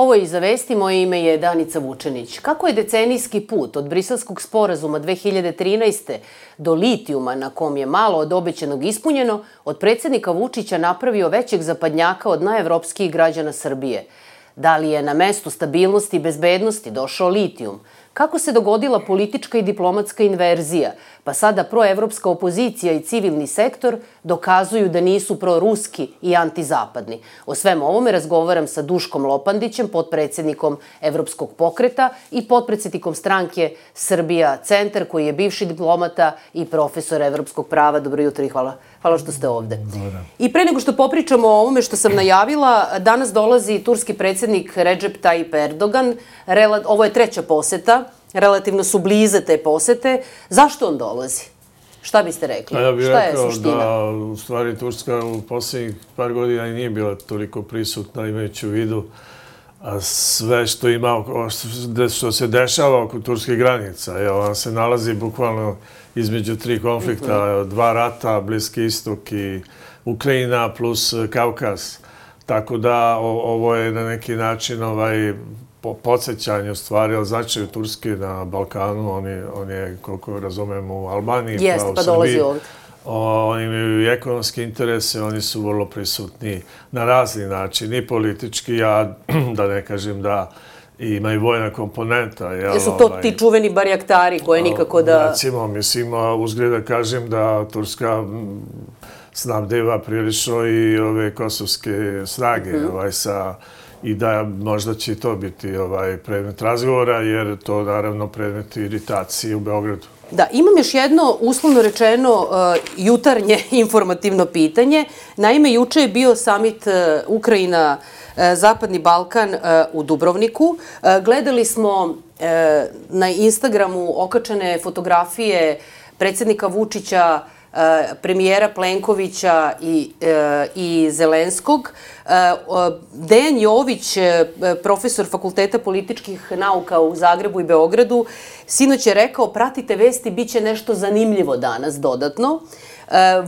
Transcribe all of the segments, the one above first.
Ovo je Iza vesti, moje ime je Danica Vučenić. Kako je decenijski put od Briselskog sporazuma 2013. do litijuma, na kom je malo od obećanog ispunjeno, od predsjednika Vučića napravio većeg zapadnjaka od najevropskijih građana Srbije? Da li je na mestu stabilnosti i bezbednosti došao litijum? Kako se dogodila politička i diplomatska inverzija, pa sada proevropska opozicija i civilni sektor dokazuju da nisu proruski i antizapadni? O svem ovome razgovaram sa Duškom Lopandićem, potpredsjednikom Evropskog pokreta i potpredsjednikom stranke Srbija centar, koji je bivši diplomata i profesor evropskog prava. Dobro jutro i hvala što ste ovde. I pre nego što popričamo o ovome što sam najavila, danas dolazi turski predsjednik Recep Tayyip Erdogan. Ovo je treća poseta. Relativno su blize te posete. Zašto on dolazi? Šta biste rekli? Ja bih rekao da u stvari Turska u posljednjih par godina i nije bila toliko prisutna, imajući u vidu sve što se dešava oko turskih granica. On se nalazi bukvalno između tri konflikta, dva rata, Bliski istok i Ukrajina plus Kaukaz. Tako da ovo je na neki način podsjećanje u stvari o značaju Turske na Balkanu. On je, koliko razumemo, u Albaniji, pa u Srbiji. Oni imaju i ekonomske interese, oni su vrlo prisutni na razni način, i politički, a da ne kažem da ima i vojna komponenta. Jesu to ti čuveni barjaktari koje nikako da... Recimo, mislim, uzgled da kažem da Turska snabdeva prilično i ove kosovske snage i da možda će to biti predmet razgovora, jer to naravno predmet iritacije u Beogradu. Da, imam još jedno, uslovno rečeno, jutarnje informativno pitanje. Naime, juče je bio samit Ukrajina, Zapadni Balkan u Dubrovniku. Gledali smo na Instagramu okačene fotografije predsjednika Vučića, premijera Plenkovića i Zelenskog. Dejan Jović, profesor Fakulteta političkih nauka u Zagrebu i Beogradu, sinoć je rekao: pratite vesti, bit će nešto zanimljivo danas dodatno.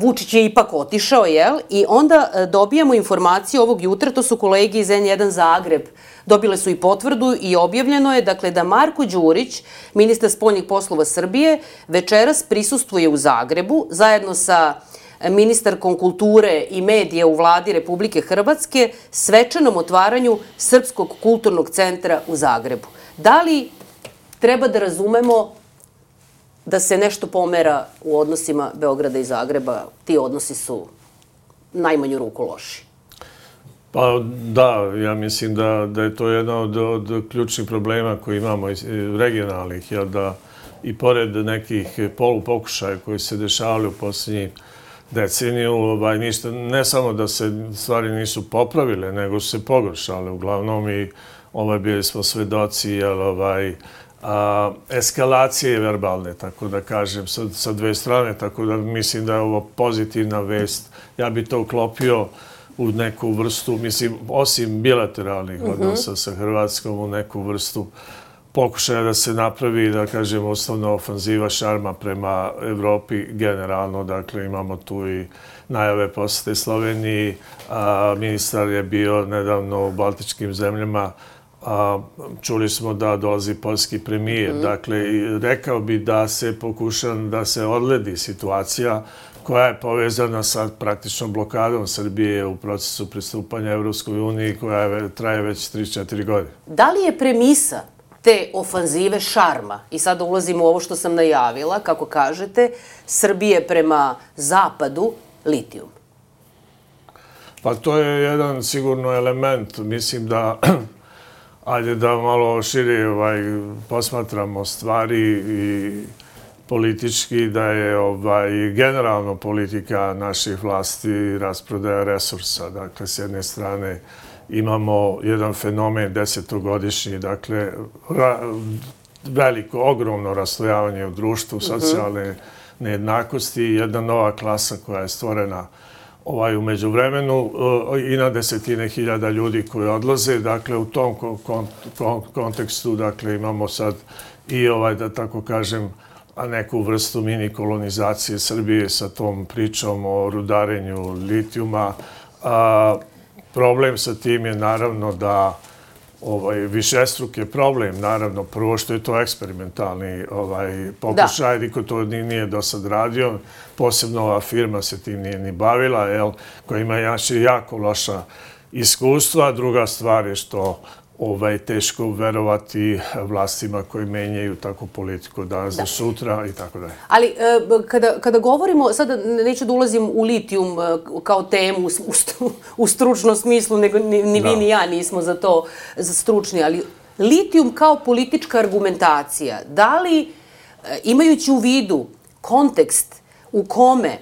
Vučić je ipak otišao, jel? I onda dobijamo informaciju ovog jutra, to su kolege iz N1 Zagreb, dobile su i potvrdu i objavljeno je, dakle, da Marko Đurić, ministar spoljnih poslova Srbije, večeras prisustvuje u Zagrebu zajedno sa ministarkom kulture i medija u vladi Republike Hrvatske svečanom otvaranju Srpskog kulturnog centra u Zagrebu. Da li treba da razumemo da se nešto pomera u odnosima Beograda i Zagreba? Ti odnosi su najmanju ruku loši. Pa da, ja mislim da je to jedna od ključnih problema koji imamo regionalnih, jer da i pored nekih polupokušaja koji se dešavali u posljednjih deceniju, ne samo da se stvari nisu popravile, nego su se pogoršale uglavnom i bili smo svedoci eskalacije verbalne, tako da kažem, sa dve strane, tako da mislim da je ovo pozitivna vest. Ja bi to uklopio u neku vrstu, mislim, osim bilateralnih odnosa sa Hrvatskom, u neku vrstu pokušaja da se napravi, da kažem, osnovna ofanziva šarma prema Evropi generalno. Dakle, imamo tu i najave posete Sloveniji. Ministar je bio nedavno u baltičkim zemljama. Čuli smo da dolazi poljski premijer. Dakle, rekao bi da se pokuša da se odledi situacija koja je povezana sa praktično blokadom Srbije u procesu pristupanja Evropskoj uniji, koja traje već 3-4 godine. Da li je premisa te ofanzive šarma, i sada ulazimo u ovo što sam najavila, kako kažete, Srbije prema zapadu, litijum? Pa to je jedan sigurno element. Mislim da, ajde da malo šire posmatramo stvari i politički, da je generalno politika naših vlasti rasprodaja resursa. Dakle, s jedne strane imamo jedan fenomen desetogodišnji, dakle, veliko, ogromno raslojavanje u društvu, socijalne nejednakosti, jedna nova klasa koja je stvorena u međuvremenu i na desetine hiljada ljudi koji odlaze. Dakle, u tom kontekstu imamo sad i, da tako kažem, neku vrstu mini kolonizacije Srbije sa tom pričom o rudarenju litijuma. Problem sa tim je naravno da višestruki problem, naravno, prvo što je to eksperimentalni pokušaj, niko to nije do sad radio, posebno ova firma se tim nije ni bavila, koja ima jako loša iskustva. Druga stvar je što teško verovati vlastima koji menjaju takvu politiku danas do sutra i tako dalje. Ali kada govorimo, sada neću da ulazim u litijum kao temu u stručnom smislu, nego ni vi ni ja nismo za to stručni, ali litijum kao politička argumentacija, da li, imajući u vidu kontekst u kome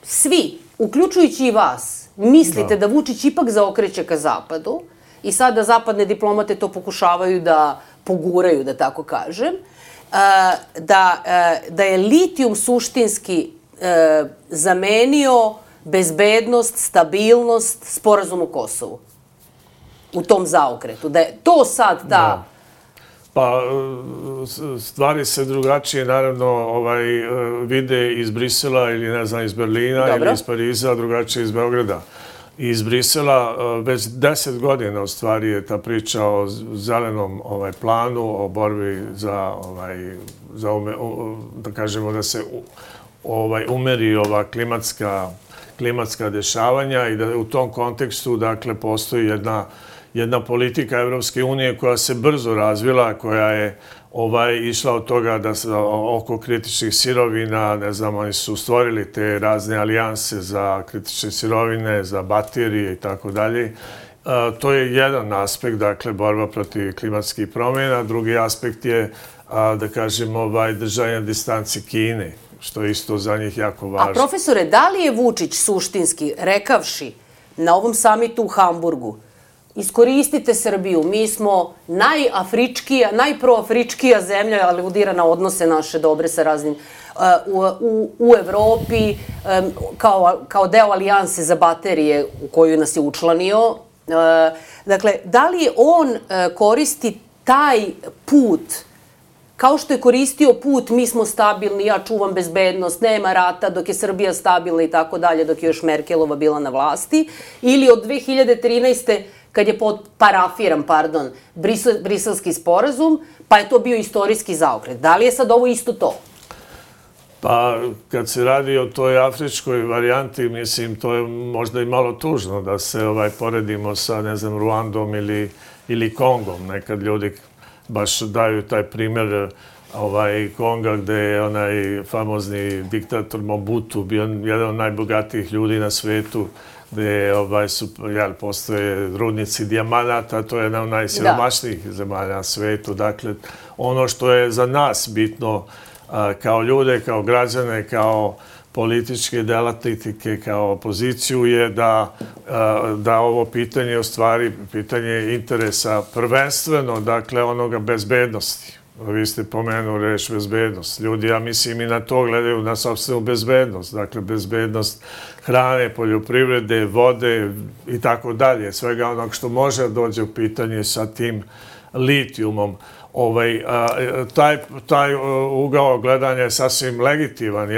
svi, uključujući i vas, mislite da Vučić ipak zaokreće ka zapadu, i sada zapadne diplomate to pokušavaju da poguraju, da tako kažem, da je litijum suštinski zamenio bezbednost, stabilnost, sporazum u Kosovu u tom zaokretu. Da je to sad ta... Pa, stvari se drugačije, naravno, vide iz Brisela ili, ne znam, iz Berlina ili iz Pariza, drugačije iz Beograda. Iz Brisela već 10 godina u stvari je ta priča o zelenom planu, o borbi za, da kažemo, da se umeri ova klimatska dešavanja i da u tom kontekstu, dakle, postoji jedna politika Evropske unije koja se brzo razvila, koja je išla od toga da oko kritičnih sirovina, ne znam, oni su stvorili te razne alijanse za kritične sirovine, za baterije i tako dalje. To je jedan aspekt, dakle, borba protiv klimatskih promjena. Drugi aspekt je, da kažem, držanje distanci Kine, što je isto za njih jako važno. A profesore, da li je Vučić suštinski, rekavši na ovom samitu u Hamburgu, iskoristite Srbiju, mi smo najafričkija, najproafričkija zemlja, aludira na odnose naše dobre sa raznim u Evropi, kao deo alijanse za baterije u koju nas je učlanio. Dakle, da li on koristi taj put, kao što je koristio put mi smo stabilni, ja čuvam bezbednost, nema rata dok je Srbija stabilna i tako dalje, dok je još Merkelova bila na vlasti, ili od 2013. kad je parafiran, briselski sporazum, pa je to bio istorijski zaokret. Da li je sad ovo isto to? Pa, kad se radi o toj afričkoj varijanti, mislim, to je možda i malo tužno da se poredimo sa, ne znam, Ruandom ili Kongom. Nekad ljudi baš daju taj primjer Konga, gde je onaj famozni diktator Mobutu bio jedan od najbogatijih ljudi na svetu, gde postoje rudnici dijamanata, to je jedna od najsiromašnijih zemalja na svetu. Dakle, ono što je za nas bitno kao ljude, kao građane, kao političke delatnike, kao opoziciju je da ovo pitanje, u stvari, pitanje interesa prvenstveno, dakle, onoga bezbednosti. Vi ste pomenuli reč bezbednost. Ljudi, ja mislim, i na to gledaju na sopstvenu bezbednost. Dakle, bezbednost hrane, poljoprivrede, vode i tako dalje. Svega onog što može da dođe u pitanje sa tim litijumom. Taj ugao gledanja je sasvim legitiman.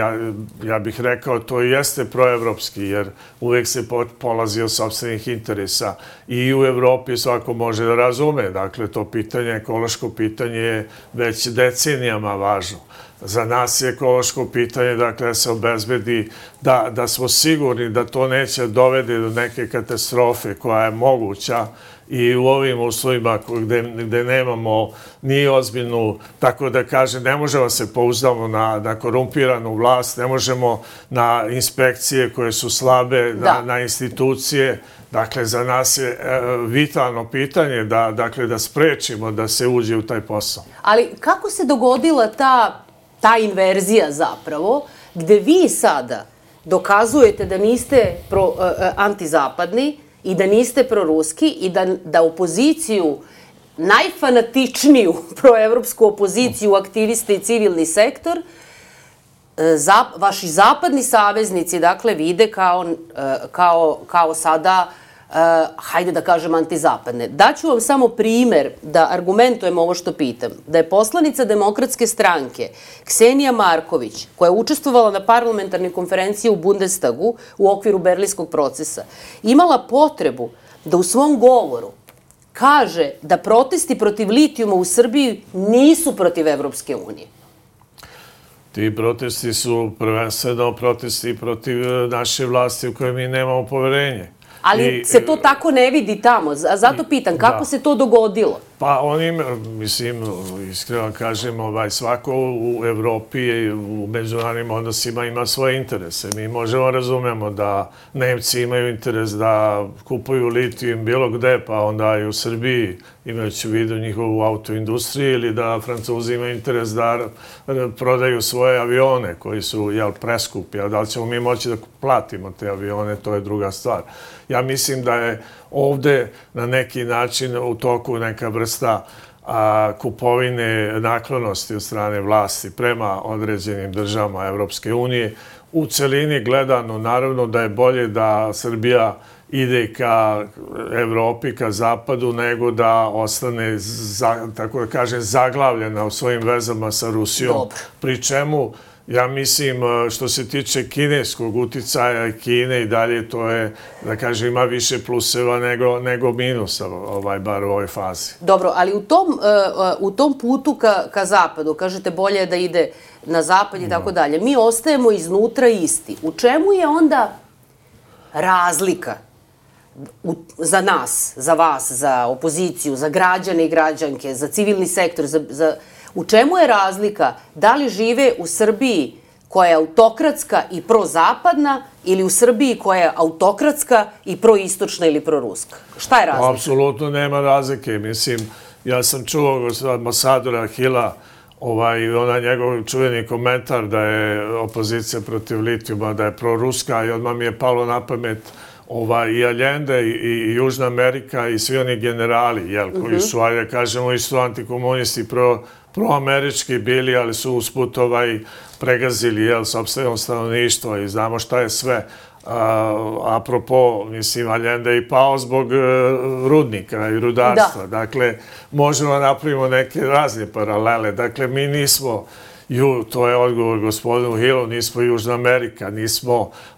Ja bih rekao, to i jeste proevropski, jer uvek se polazi od sopstvenih interesa. I u Evropi svako može da razume. Dakle, to pitanje, ekološko pitanje je već decenijama važno. Za nas je ekološko pitanje, dakle, da se obezbedi, da smo sigurni da to neće dovede do neke katastrofe koja je moguća i u ovim uslovima gde nemamo ni ozbiljnu, tako da kažem, ne možemo se pouzdamo na korumpiranu vlast, ne možemo na inspekcije koje su slabe, na institucije. Dakle, za nas je vitalno pitanje da sprečimo da se uđe u taj posao. Ali kako se dogodila ta inverzija zapravo, gde vi sada dokazujete da niste antizapadni i da niste proruski i da opoziciju, najfanatičniju proevropsku opoziciju, aktiviste i civilni sektor, vaši zapadni saveznici, dakle, vide kao sada, hajde da kažem, antizapadne. Daću vam samo primer da argumentujem ovo što pitam. Da je poslanica Demokratske stranke Ksenija Marković, koja je učestvovala na parlamentarnoj konferenciji u Bundestagu u okviru Berlinskog procesa, imala potrebu da u svom govoru kaže da protesti protiv litijuma u Srbiji nisu protiv Evropske unije. Ti protesti su prvenstveno protesti protiv naše vlasti u kojoj mi nemamo poverenje. Ali se to tako ne vidi tamo. Zato pitam, kako se to dogodilo? Pa mislim, iskreno kažem, svako u Evropi i u međunarodnim odnosima ima svoje interese. Mi možemo razumemo da Nemci imaju interes da kupuju litijum bilo gde, pa onda i u Srbiji, imajući u vidu njihovu autoindustriju, ili da Francuzi imaju interes da prodaju svoje avione koji su preskupi, a da li ćemo mi moći da platimo te avione, to je druga stvar. Ja mislim da je ovde na neki način u toku neka vrsta kupovine naklonosti od strane vlasti prema određenim državama Evropske unije. U celini gledano, naravno da je bolje da Srbija ide ka Evropi, ka zapadu, nego da ostane, tako da kažem, zaglavljena u svojim vezama sa Rusijom. Pri čemu, ja mislim, što se tiče kineskog uticaja Kine i dalje, to je, da kažem, ima više pluseva nego minusa, bar u ovoj fazi. Dobro, ali u tom putu ka zapadu, kažete bolje je da ide na zapad i tako dalje, mi ostajemo iznutra isti. U čemu je onda razlika za nas, za vas, za opoziciju, za građane i građanke, za civilni sektor, u čemu je razlika da li žive u Srbiji koja je autokratska i prozapadna ili u Srbiji koja je autokratska i proistočna ili proruska? Šta je razlika? Apsolutno nema razlike. Mislim, ja sam čuo ambasadora Hila, onaj njegov čuveni komentar da je opozicija protiv litijuma, da je proruska, i odmah mi je palo na pamet i Allende i Južna Amerika i svi oni generali, koji su, ajde kažemo, isto antikomunisti, proamerički bili, ali su usput pregazili sopstveno stanovništvo i znamo šta je sve. Apropo, mislim, Allende je i pao zbog rudnika i rudarstva. Dakle, možemo da napravimo neke razne paralele. Dakle, mi nismo, to je odgovor gospodinu Hillu, nismo Južna Amerika,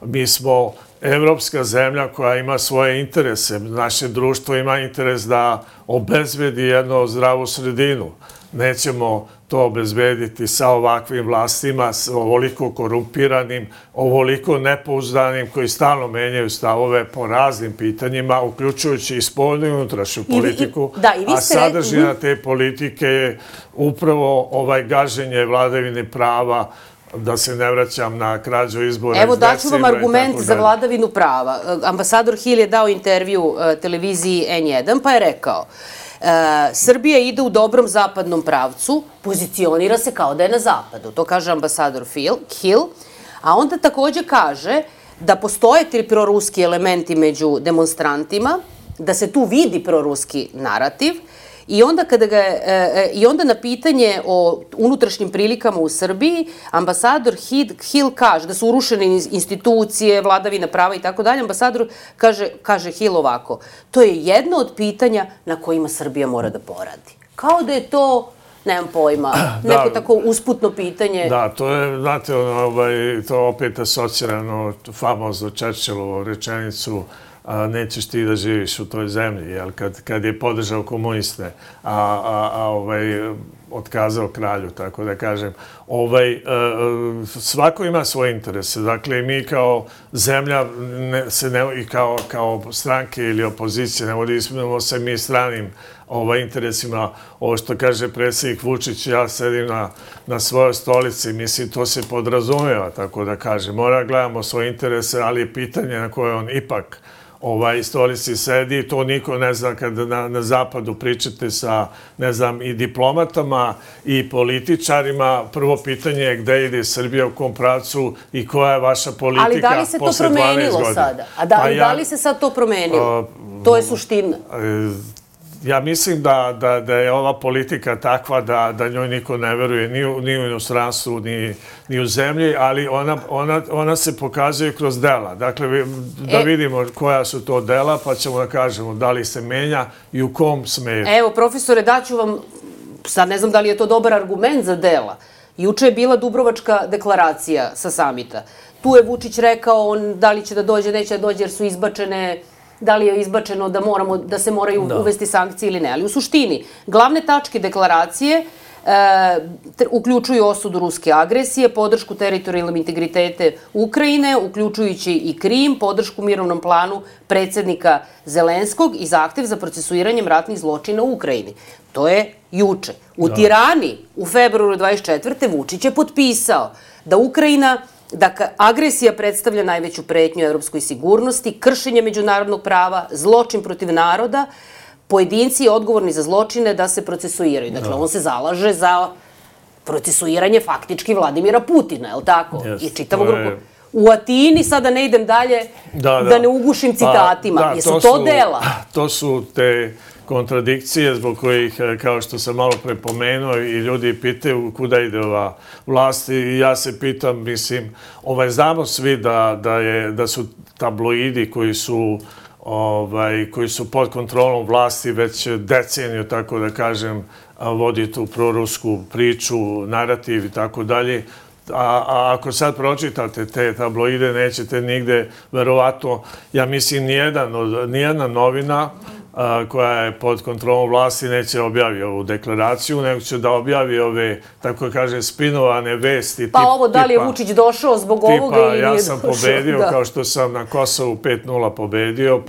mi smo evropska zemlja koja ima svoje interese. Naše društvo ima interes da obezbedi jednu zdravu sredinu. Nećemo to obezbediti sa ovakvim vlastima, ovoliko korumpiranim, ovoliko nepouzdanim, koji stalno menjaju stavove po raznim pitanjima, uključujući i spoljnu i unutrašnju politiku. A sadržina te politike je upravo gaženje vladavine prava, da se ne vraćam na krađu izbora. Evo, daću vam argument za vladavinu prava. Ambasador Hill je dao intervju televiziji N1, pa je rekao: Srbija ide u dobrom zapadnom pravcu, pozicionira se kao da je na zapadu. To kaže ambasador Hill. A onda takođe kaže da postoje ti proruski elementi među demonstrantima, da se tu vidi proruski narativ. I onda na pitanje o unutrašnjim prilikama u Srbiji, ambasador Hill kaže da su urušene institucije, vladavina prava i tako dalje. Ambasador kaže Hill ovako: to je jedno od pitanja na kojima Srbija mora da poradi. Kao da je to, nemam pojma, neko tako usputno pitanje. Da, to je, znate, to opet asocirano famozno Churchillovu rečenicu: nećeš ti da živiš u toj zemlji, kad je podržao komuniste, otkazao kralju, tako da kažem. Svako ima svoje interese. Dakle, mi kao zemlja i kao stranke ili opozicije ne vodimo se mi stranim interesima. Ovo što kaže predsjednik Vučić, ja sedim na svojoj stolici, mislim, to se podrazumeva, tako da kažem. Mora gledamo svoje interese, ali je pitanje na koje on ipak stolici sedi, to niko ne zna kada na zapadu pričate sa, ne znam, i diplomatama i političarima. Prvo pitanje je gde ide Srbija, u kom pravcu i koja je vaša politika posle 12 godina. Ali da li se to promenilo sada? A da li se sad to promenilo? To je suština. Ja mislim da je ova politika takva da njoj niko ne veruje ni u inostranstvu, ni u zemlji, ali ona se pokazuje kroz dela. Dakle, da vidimo koja su to dela, pa ćemo da kažemo da li se menja i u kom smeru. Evo, profesore, daću vam, sad ne znam da li je to dobar argument za dela. Juče je bila Dubrovačka deklaracija sa samita. Tu je Vučić rekao da li će da dođe, neće da dođe, jer su izbačene da li je izbačeno da se moraju uvesti sankcije ili ne. Ali u suštini, glavne tačke deklaracije uključuju osudu ruske agresije, podršku teritorijalnom integritete Ukrajine, uključujući i Krim, podršku mirovnom planu predsjednika Zelenskog i zahtev za procesuiranjem ratnih zločina u Ukrajini. To je juče. U Tirani u februaru 24. Vučić je potpisao da agresija predstavlja najveću pretnju evropskoj sigurnosti, kršenje međunarodnog prava, zločin protiv naroda, pojedinci odgovorni za zločine da se procesuiraju. Dakle, on se zalaže za procesuiranje faktički Vladimira Putina, je li tako? I čitavu grupu. U Atini, sada ne idem dalje, da ne ugušim citatima. Jesu to dela? To su te kontradikcije zbog kojih, kao što sam malo prepomenuo, i ljudi pitaju kuda ide ova vlast i ja se pitam, mislim, znamo svi da su tabloidi koji su pod kontrolom vlasti već deceniju, tako da kažem, vodi tu prorusku priču, narativ i tako dalje. A ako sad pročitate te tabloide, nećete nigde, verovatno, ja mislim, nijedna novina koja je pod kontrolom vlasti neće objavi ovu deklaraciju, nego će da objavi ove, tako da kaže, spinovane vesti. Pa ovo, da li je Vučić došao zbog ovoga ili nije došao? Ja sam pobedio, kao što sam na Kosovu 5-0 pobedio,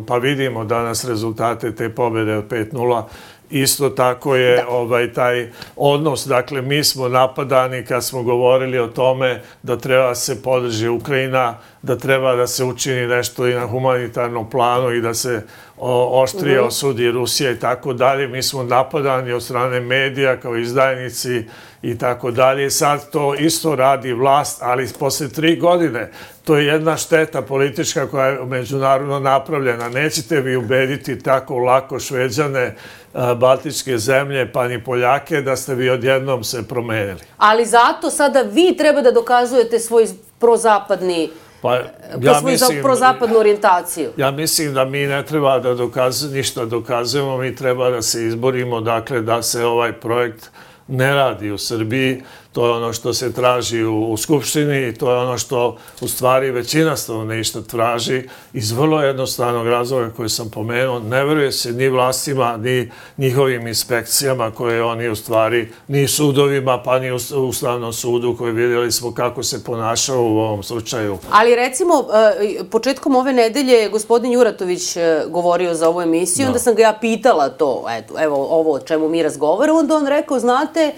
pa vidimo danas rezultate te pobede od 5-0. Isto tako je taj odnos, dakle, mi smo napadani kad smo govorili o tome da treba se podrži Ukrajina, da treba da se učini nešto i na humanitarnom planu i da se oštrije osudi Rusija i tako dalje. Mi smo napadani od strane medija kao izdajnici i tako dalje. Sad to isto radi vlast, ali posle 3 godine. To je jedna šteta politička koja je međunarodno napravljena. Nećete vi ubediti tako lako Šveđane, Baltičke zemlje, pa ni Poljake, da ste vi odjednom se promenili. Ali zato sada vi treba da dokazujete svoj prozapadnu orijentaciju. Ja mislim da mi ne treba da ništa dokazujemo, mi treba da se izborimo, dakle, da se ovaj projekt ne radi u Srbiji. To je ono što se traži u Skupštini i to je ono što u stvari većina stanovništva traži iz vrlo jednostavnog razloga koji sam pomenuo. Ne veruje se ni vlastima, ni njihovim inspekcijama koje oni u stvari, ni sudovima, pa ni Ustavnom sudu koji vidjeli smo kako se ponašao u ovom slučaju. Ali recimo, početkom ove nedelje je gospodin Juratović govorio za ovu emisiju, onda sam ga ja pitala to, evo ovo o čemu mi razgovaramo, onda on rekao, znate,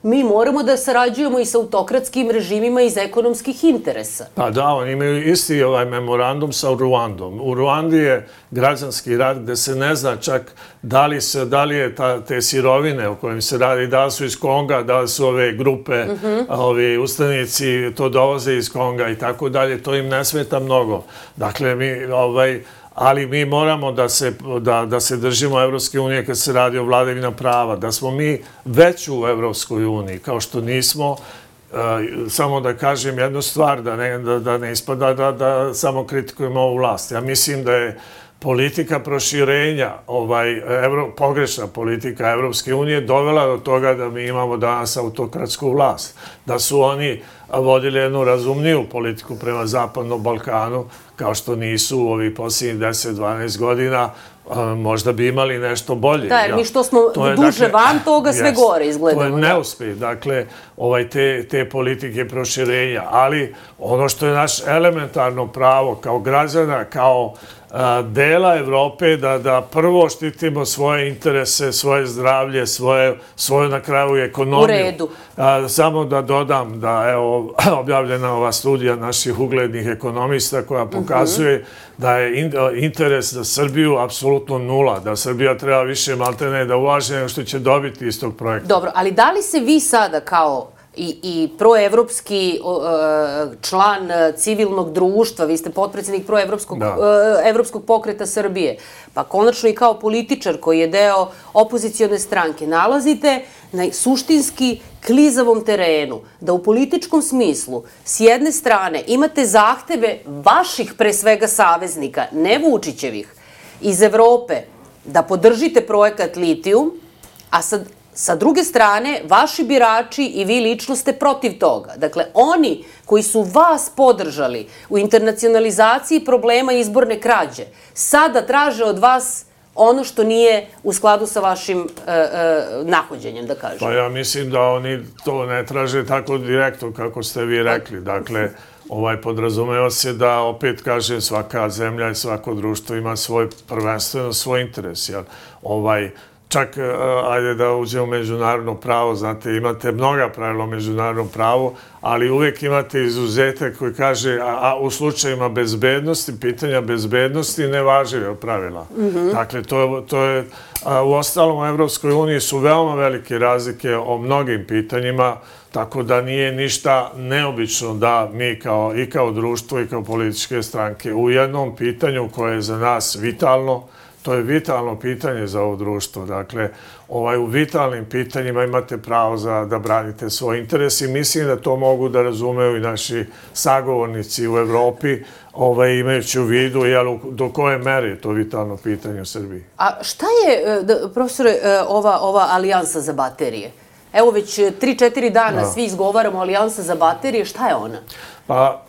mi moramo da sarađujemo i sa autokratskim režimima iz ekonomskih interesa. Pa da, oni imaju isti memorandum sa Ruandom. U Ruandi je građanski rat gde se ne zna čak da li je te sirovine o kojim se radi, da li su iz Konga, da li su ove grupe, ovi ustanici to dovoze iz Konga i tako dalje. To im ne smeta mnogo. Dakle, ali mi moramo da se držimo Evropske unije kad se radi o vladavini prava, da smo mi već u Evropskoj uniji, kao što nismo. Samo da kažem jednu stvar, da ne ispada da samo kritikujemo ovu vlast. Ja mislim da je politika proširenja, pogrešna politika Evropske unije dovela do toga da mi imamo danas autokratsku vlast. Da su oni vodili jednu razumniju politiku prema Zapadnom Balkanu, kao što nisu u ovih posljednjih 10-12 godina, možda bi imali nešto bolje. Da, jer mi što smo duže van toga, sve gore izgledamo. To je neuspjeh, dakle, te politike proširenja. Ali ono što je naš elementarno pravo kao građana, kao dela Evrope, da prvo štitimo svoje interese, svoje zdravlje, svoju na kraju ekonomiju. U redu. Samo da dodam da je objavljena ova studija naših uglednih ekonomista koja pokazuje da je interes za Srbiju apsolutno nula, da Srbija treba više maltene da ulaže nego što će dobiti iz tog projekta. Dobro, ali da li se vi sada kao i proevropski član civilnog društva, vi ste potpredsjednik proevropskog pokreta Srbije, pa konačno i kao političar koji je deo opozicione stranke, nalazite na suštinski klizavom terenu, da u političkom smislu s jedne strane imate zahteve vaših pre svega saveznika, ne Vučićevih, iz Evrope, da podržite projekat Litijum, a sa druge strane, vaši birači i vi lično ste protiv toga. Dakle, oni koji su vas podržali u internacionalizaciji problema izborne krađe, sada traže od vas ono što nije u skladu sa vašim nahođenjem, da kažem. Pa ja mislim da oni to ne traže tako direktno kako ste vi rekli. Dakle, podrazumeva se da, opet kažem, svaka zemlja i svako društvo ima prvenstveno svoj interes. Čak, ajde da uđemo u međunarodno pravo, znate, imate mnoga pravila o međunarodnom pravu, ali uvek imate izuzetak koji kaže, a u slučajima bezbednosti, pitanja bezbednosti, ne važe pravila. Dakle, to je, u ostalom u Evropskoj uniji su veoma velike razlike o mnogim pitanjima, tako da nije ništa neobično da mi kao društvo i kao političke stranke u jednom pitanju koje je za nas vitalno, to je vitalno pitanje za ovo društvo. Dakle, u vitalnim pitanjima imate pravo da branite svoj interes i mislim da to mogu da razumeju i naši sagovornici u Evropi, imajući u vidu do koje mere je to vitalno pitanje u Srbiji. A šta je, profesore, ova alijansa za baterije? Evo već 3-4 dana svi izgovaramo alijansa za baterije. Šta je ona? Pa,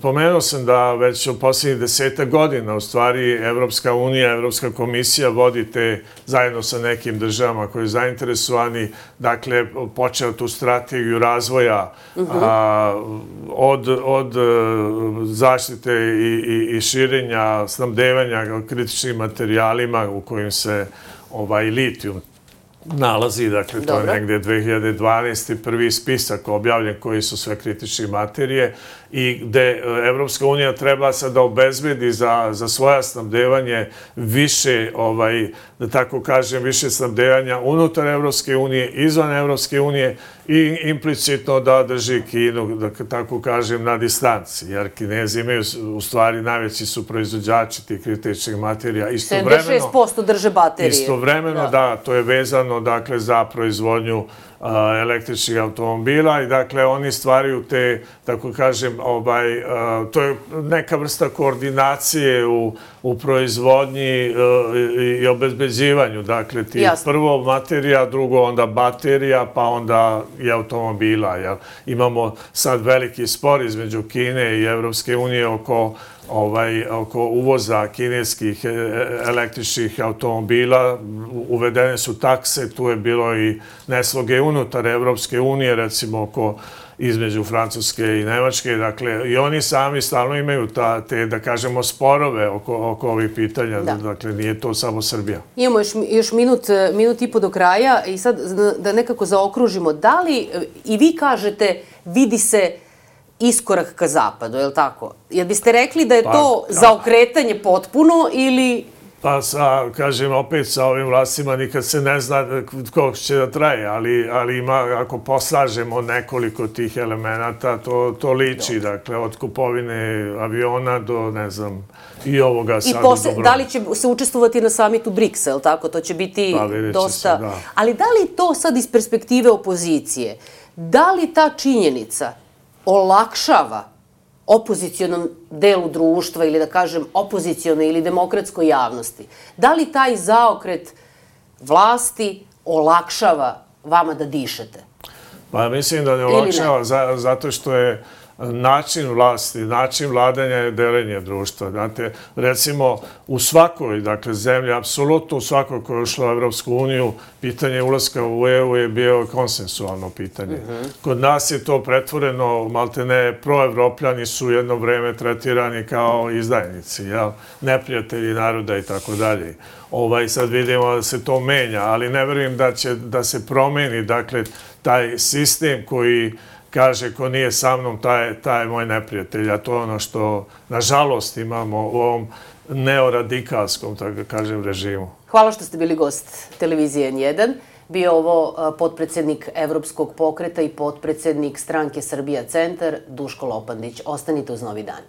pomenuo sam da već u posljednjih 10 godina u stvari Evropska unija, Evropska komisija vodite zajedno sa nekim državama koji su zainteresovani, dakle, počeo tu strategiju razvoja od zaštite i širenja, snabdevanja kritičnim materijalima u kojim se litijum nalazi, dakle, to je negdje 2012. prvi spisak objavljen koji su sve kritične materije i gde Evropska unija treba sad da obezbedi za svoja snabdevanje više, da tako kažem, više snabdevanja unutar Evropske unije, izvan Evropske unije i implicitno da drži Kinu, da tako kažem, na distanci. Jer Kinezi imaju, u stvari, najveći su proizvođači tih kritičnih materija. 76% drže baterije. Istovremeno, da, to je vezano, dakle, za proizvodnju električnih automobila i dakle oni stvaraju te, tako kažem, to je neka vrsta koordinacije u proizvodnji i obezbeđivanju, dakle ti prvo materija, drugo onda baterija, pa onda i automobila. Imamo sad veliki spor između Kine i Evropske unije oko uvoza kineskih električnih automobila. Uvedene su takse, tu je bilo i nesloge unutar Evropske unije, recimo između Francuske i Nemačke. Dakle, i oni sami stalno imaju te, da kažemo, sporove oko ovih pitanja. Dakle, nije to samo Srbija. Imamo još minut i po do kraja i sad da nekako zaokružimo. Da li i vi kažete vidi se iskorak ka zapadu, je li tako? Jel biste rekli da je to zaokretanje potpuno ili... Pa, kažem, opet sa ovim vlastima nikad se ne zna koliko će da traje, ali ako poslažemo nekoliko tih elemenata, to liči, dakle, od kupovine aviona do, ne znam, i ovoga sad. I da li će se učestvovati na samitu BRICS-a, je li tako? To će biti dosta... Ali da li to sad iz perspektive opozicije, da li ta činjenica olakšava opozicijonom delu društva ili da kažem opozicijonoj ili demokratskoj javnosti? Da li taj zaokret vlasti olakšava vama da dišete? Pa mislim da ne olakšava zato što je način vlasti, način vladanja je delenje društva. Znate, recimo u svakoj, dakle, zemlji, apsolutno u svakoj koja je ušla u Evropsku uniju, pitanje ulaska u EU je bio konsensualno pitanje. Kod nas je to pretvoreno, maltene, proevropljani su jedno vreme tretirani kao izdajnici, neprijatelji naroda i tako dalje. Sad vidimo da se to menja, ali ne verujem da se promeni, dakle, taj sistem koji kaže ko nije sa mnom, taj je moj neprijatelj, a to je ono što, nažalost, imamo u ovom neoradikalskom, tako kažem, režimu. Hvala što ste bili gost televizije N1. Bio ovo potpredsednik Evropskog pokreta i potpredsednik stranke Srbija Centar, Duško Lopandić. Ostanite uz Novi dan.